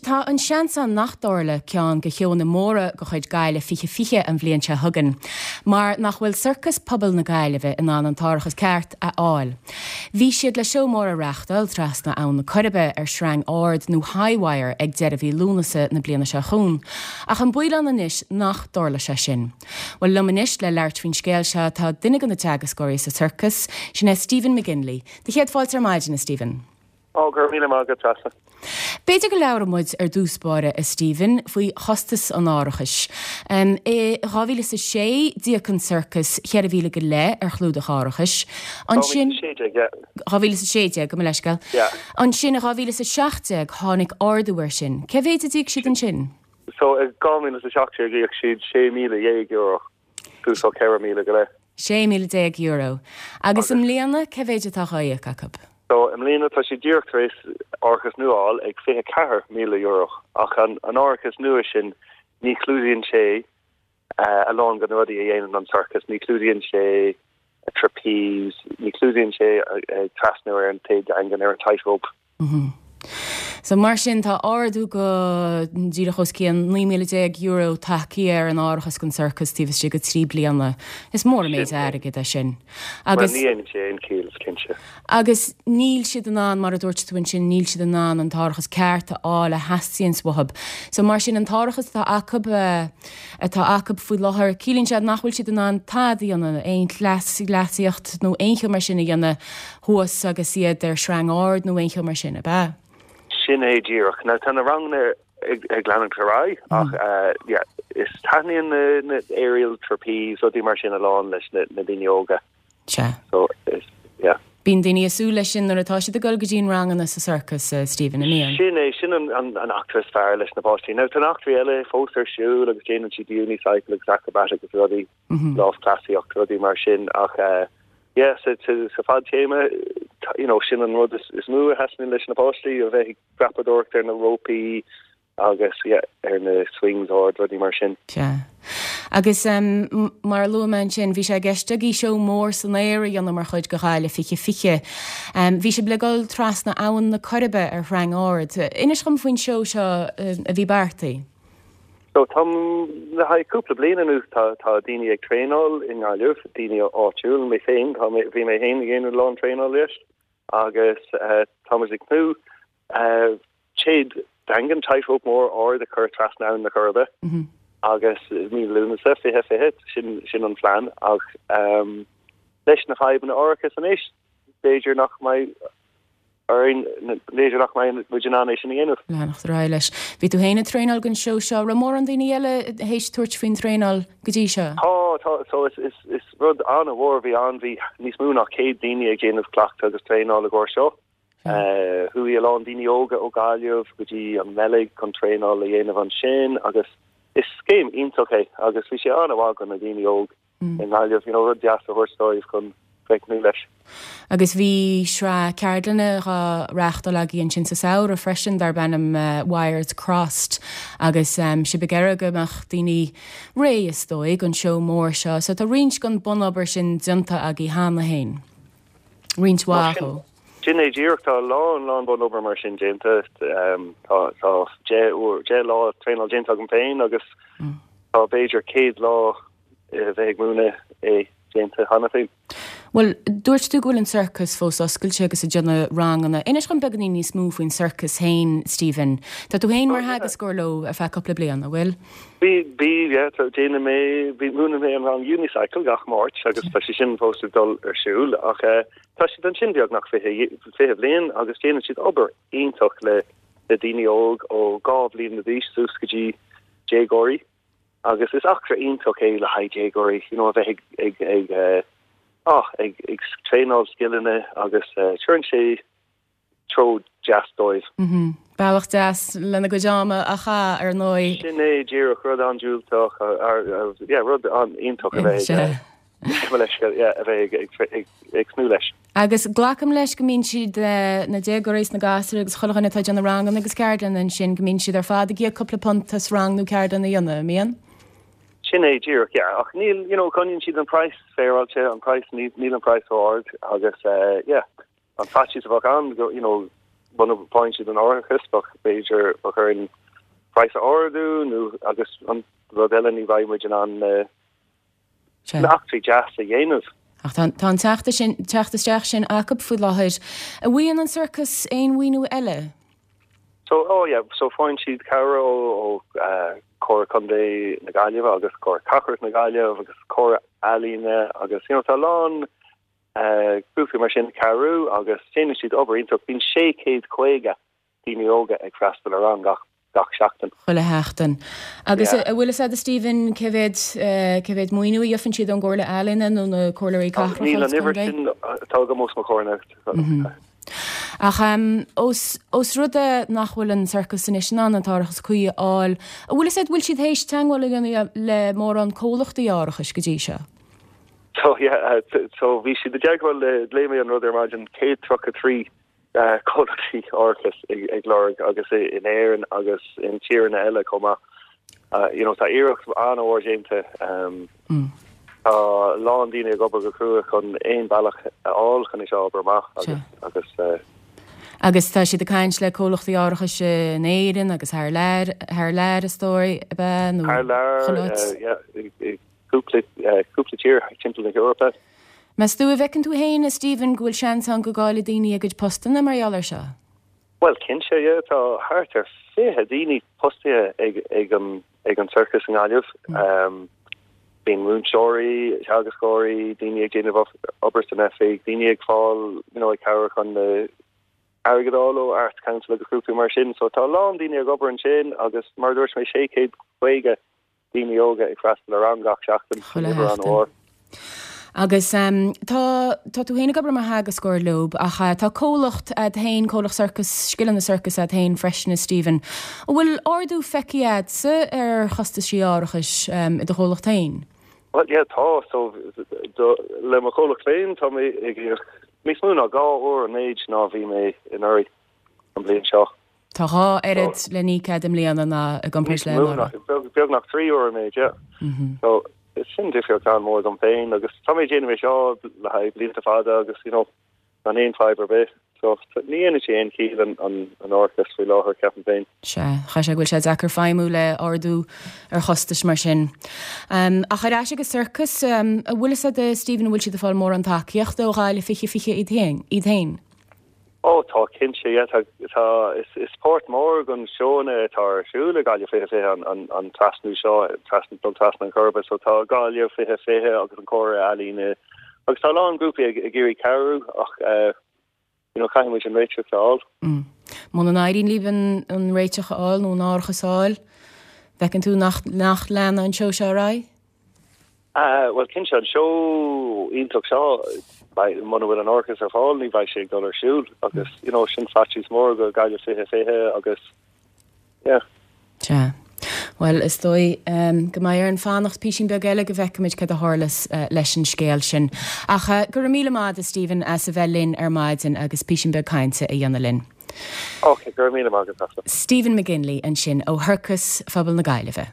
tá an seans ann nach dtarlóidh ceann de sheónna móra de chuid Gaillimh 2020 an bhliain seo chugainn, mar nach bhfuil Sorcas Pobail na Gaillimhe in ann an t-árachas ceart a fháil. Bhí siad le seó mór a reáchtáil trasna Abhainn na Coiribe ar sreang ard nó high wire ag deireadh mhí Lúnasa na bliana seo chugainn, ach an baol ann anois nach dtarlóidh sé sin. Bhuel, liom anois le labhairt faoin scéal seo tá duine de na teagascóirí sa sorcas, sin é Stephen McGinley. Do chéad fáilte ar maidin, a Stephen. Ó, go raibh míle maith agat, Treasa. B'fhéidir go labhróidh muid ar dtús báire, a Stephen, faoi chostas an árachais. I 2006, d'íoc an sorcas 4,000 go leith ar chlúdach árachais. Ansin. 2016, yeah. 2016, gabh mo leithscéal. Yeah. Ansin, i 2017, tháinig ardú air sin. Cé mhéid a d'íoc siad ansin? So, i 2017, íoc siad €16,000. Suas ó 4,000 go leith. €16,000. Agus i mbliana, cé mhéid atá dhá íoc acu? So, i mbliana, tá siad díreach tar éis árachas nua a fháil ag €24,000. Ach an árachas nua sin, ní chlúdaíonn sé a lán de na rudaí a dhéanann an sorcas. Ní chlúdaíonn sé trapeze, ní chlúdaíonn sé ag trasnú ar an téad daingean, ar an tightrope. So mar sin tá ardú go díreach os cionn €19,000 tagtha ar an árachas don sorcas taobh istigh de thrí bliana. Is mór an méid airgid é sin. Agus. Bhuel ní dhéanann sé aon chiall, is cinnte. Agus níl siad in ann, mar a dúirt tú ansin, níl siad in ann an t-árachas ceart a fháil a theastaíonns uathu. So mar sin an t-árachas atá acu, atá acu faoi láthair, ciallaíonn sé nach bhfuil siad in ann tada a dhéanamh, aon chleasaíocht nó aon cheo mar sin a dhéanamh thuas agus iad ar shreang ard nó aon cheo mar sin, ab ea? Sin é díreach. Now tá na ranganna ag leanúint ar aghaidh ach yeah, is taitníonn na aerial trapeze, rudaí mar sin a lán leis na daoine óga. Sea. So is, yeah. Bíonn daoine ag súil leis sin nuair atá siad ag dul go dtí an ranganna sa sorcas, Stephen, an mbíonn? Sin é, sin an eachtra is fearr leis na páistí. Now tá na heachtraí eile fós ar siúl agus déanann siad unicycle agus acrobatic agus rudaí, lámhchleasaíocht, rudaí mar sin ach yeah, sa sa fadtéarma, you know, sin an rud is mó a thaitníonn leis na páistí, a bheith ag dreapadóireacht ar na rópaí agus, yeah, ar na swings ard, rudaí mar sin. Sea. Agus mar a luaigh mé ansin, bhí sé i gceist agaibh seó mór san aer a dhéanamh mar chuid de Ghaillimh 2020. Bhí sibh le dul trasna Abhainn na Coiribe ar shreang ard. Inis dhom faoin seó seo a bhí beartaithe. So tá, le haghaidh cúpla bliain anuas tá tá daoine ag traenáil i nGaillimh, daoine áitiúil, mé féin, tá mé, bhí mé féin ag déanamh a lán traenáil leis agus tá muid ag tnúth téad daingean, tightrope mór ard a chur trasna Abhainn na Coiribe agus mí Lúnasa 2020, sin sin an phlean ach leis na fadhbanna árachais anois b'fhéidir nach mbeidh orainn, b'fhéidir nach mbeidh muid in ann é sin a dhéanamh. Leanacht ar aghaidh leis. Bhí tú féin ag traenáil don seó seo. Raibh mórán daoine eile théis tabhairt faoin traenáil go dtí seo? Tá, tá. So is, is, is rud an-mhór a bhí ann. Bhí níos mó ná 100 daoine ag déanamh cleachtadh agus traenáil i gcomhair seo. Chuaigh a lán daoine óga ó Gaillimh go dtí an mBeilg chun traenáil a dhéanamh ansin agus is scéim iontach é agus bhí sé an-mhaith do na daoine óg. i nGaillimh, you know, rud deas a thabhairt dóibh chun bheith ag tnúth leis. Agus bhí sraith ceardlanna dhá reáchtáil agaibh ansin sa samhradh freisin darb ainm Wires Crossed agus sibh ag iarraidh go mbeadh daoine réidh is dóigh don seó mór seo. So tá roinnt den bunobair sin déanta agaibh cheana féin. Roinnt mhaith dhó. Sin é díreach, tá a lán, lán bunobair mar sin déanta. Tá tá 10 uair, 10 lá traenáil déanta agam féin agus tá b'fhéidir 100 lá a bheith ag múineadh é déanta cheana féin. Bhuel, dúirt tú go bhfuil an sorcas fós oscailte agus ag déanamh ranganna. Inis dhom beagáinín níos mó faoin sorcas féin, Stephen. Tá tú féin mar theagascóir leo ar feadh cúpla bliain, an bhfuil? Bhí, bhí, yeah, tá, déanann mé, bhí, múineann mé an rang unicycle gach Máirt agus tá sé sin fós ag dul ar siúl ach eh, tá siad ansin beagnach 20, 20 bhliain agus déanann siad obair iontach le, le daoine óg ó 2 bhliain d'aois suas go dtí déagóirí. Agus is eachtra iontach é le haghaidh déagóirí, you know, a bheith ag, ag, ag, eh, ah, ag, ag traenáil scileanna agus eh, cuireann sé treo deas dóibh. Mhm. Bealach deas lena gcuid ama a chaitheamh, ar ndóigh. Sin é díreach, rud an-diúltach, yeah, rud an-iontach a bheith ag, eh, a bheith ag, ag, ag, ag tnúth leis. Agus glacaim leis go mbíonn siad, na déagóirí is na gasúir agus chuile dhuine atá ag déanamh ranganna agus ceardlanna ansin, go mbíonn siad ar fad ag íoc cúpla punt as rang nó ceardlann a dhéanamh, an mbíonn? Sin é díreach, yeah. Ach níl, you know, coinníonn siad an praghas féaráilte, an praghas, níl an praghas ró-ard agus, yeah, an faitíos a bheadh ann, you know, muna bhfaigheann siad an árachas bheadh b'fhéidir bheadh orainn praghas a ardú nó agus an rud eile ní bheidh muid in ann na eachtraí deas a dhéanamh. Ach tá tá an teacht sin teacht isteach sin acu faoi láthair. An bhfaigheann an sorcas aon mhaoiniú eile? So oh yeah so faigheann siad cabhair ó ó Comhairle Contae na Gaillimhe agus Comhairle Cathrach na Gaillimhe agus Comhairle Ealaíne agus you know tá a lán grúpaí mar sin ag cabhrú agus déanann siad obair iontach. Bíonn 650 daoine óga ag freastal ar rang gach gach seachtain. Chuile sheachtain. Agus an bhfuil fhios agat a Stephen cé mhéad cé mhéad maoiniú a gheofan siad ón gComhairle Ealaíne nó na Comhairleoirí Cathrach Níl an uimhir sin atá agam os mo chomhair anocht. Ach ós ós rud é nach bhfuil an sorcas anois in ann an t-árachas cuí a fháil, an bhfuil fhios agat an bhfuil siad théis teagmháil a dhéanamh le mórán comhlachtaí árachais go dtí seo? So yeah, so bhí siad i dteagmháil le, léigh mé an rud ar maidin, 133 comhlachtaí árachais ag lorg agus in Éirinn agus in tíreanna eile chomh maith. You know, tá iarracht an-mhór déanta. Tá a lán daoine ag obair go crua chun aon bealach a fháil chun é seo a obair amach agus agus Agus tá siad ag caint le comhlachtaí árachais in Éirinn agus thar lear, thar lear is dóigh, ab ea, nó Thar lear, yeah, cúpla, cúpla tír timpeall na hEorpa. Meas tú, an bhfeiceann tú féin, a Stephen, go bhfuil seans ann go gcaillfidh daoine a gcuid postanna mar gheall air seo? Bhuel, cinnte, yeah. Tá thart ar 20 daoine postaithe ag, ag an, ag an sorcas i nGaillimh. Bíonn múinteoirí, teagascóirí, daoine ag déanamh obair san oifig, daoine ag fáil, you know, ag cabhrú chun na airgead a fháil ó Arts Council agus grúpaí mar sin. So tá a lán daoine ag obair ansin agus mar a dúirt mé 650 daoine óga ag freastal ar rang gach seachtain Chuile sheachtain. Agus tá tá tú féin ag obair mar theagascóir leob ach tá comhlacht a'd féin, comhlacht sorcas, scileanna sorcais a'd féin freisin a Stephen. An bhfuil ardú feicthe a'dsa ar chostaisí árachais i do chomhlacht féin? Bhuel yeah tá, so do, le mo chomhlacht féin tá mé ag íoc níos mó ná 2 uair an méid ná bhí mé anuraidh an bhliain seo. Tá 2 oiread le n-íoc a'd i mbliana ná i gcomparáid le anuraidh. Beagnach 3 uair an méid, yeah. So, sin difríocht an-mhór dom féin agus tá mé ag déanamh é seo le haghaidh blianta fada agus, you know, gan aon fadhb ar bith. So, ní dhéanann sé aon chiall an an árachas faoi láthair, ceapaim féin. Sea, chaithfidh sé go bhfuil sé deacair feidhmiú le ardú ar chostais mar sin. Ach ar ais ag an sorcas, an bhfuil fhios a'd, Stephen, an bhfuil siad ag fáil mórán tacaíochta ó Ghaillimh 2020 iad féin? Ó tá, cinnte, yeah, tá, tá, is, is páirt mór den seóanna atá ar siúl i Gaillimh 2020 an, an, an trasnú seo, trasna, dul trasna an Choirbe, so tá Gaillimh 2020 agus an Comhairle Ealaíne agus tá a lán grúpaí ag, ag iarraidh cabhrú ach eh, you know, caithfidh muid an réiteach a fháil. Mm. Muna n-éiríonn libh an, an réiteach a fháil nó an árachas a fháil, bhfeiceann tú nach, nach leanfaidh an seó seo ar aghaidh? Bhuel, cinnte, an seó iontach seo, muna bhfuil an árachas ar fáil, ní bheidh sé ag dul ar siúl agus, you know, sin faitíos mór go Gaillimh 2020 agus, yeah. Sea. Bhuel, is dóigh go mbeidh orainn fanacht písín beag eile go bhfeicfimid cad a tharlas leis an scéal sin. Ach go raibh míle maith agat, a Stephen, as a bheith linn ar maidin agus písín beag cainte a dhéanamh linn. Ok, go raibh míle maith agat, Stephen McGinley ansin ó Shorcas Phobal na Gaillimhe.